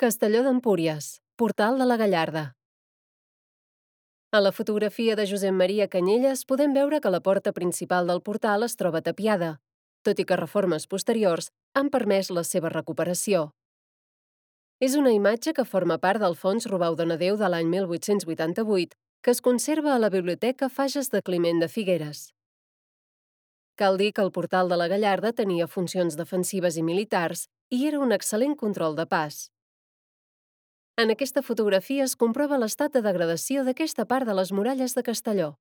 Castelló d'Empúries, Portal de la Gallarda. A la fotografia de Josep Maria Canyelles podem veure que la porta principal del portal es troba tapiada, tot i que reformes posteriors han permès la seva recuperació. És una imatge que forma part del fons Robau Donadeu de l'any 1888, que es conserva a la Biblioteca Fages de Climent de Figueres. Cal dir que el portal de la Gallarda tenia funcions defensives i militars i era un excel·lent control de pas. En aquesta fotografia es comprova l'estat de degradació d'aquesta part de les muralles de Castelló.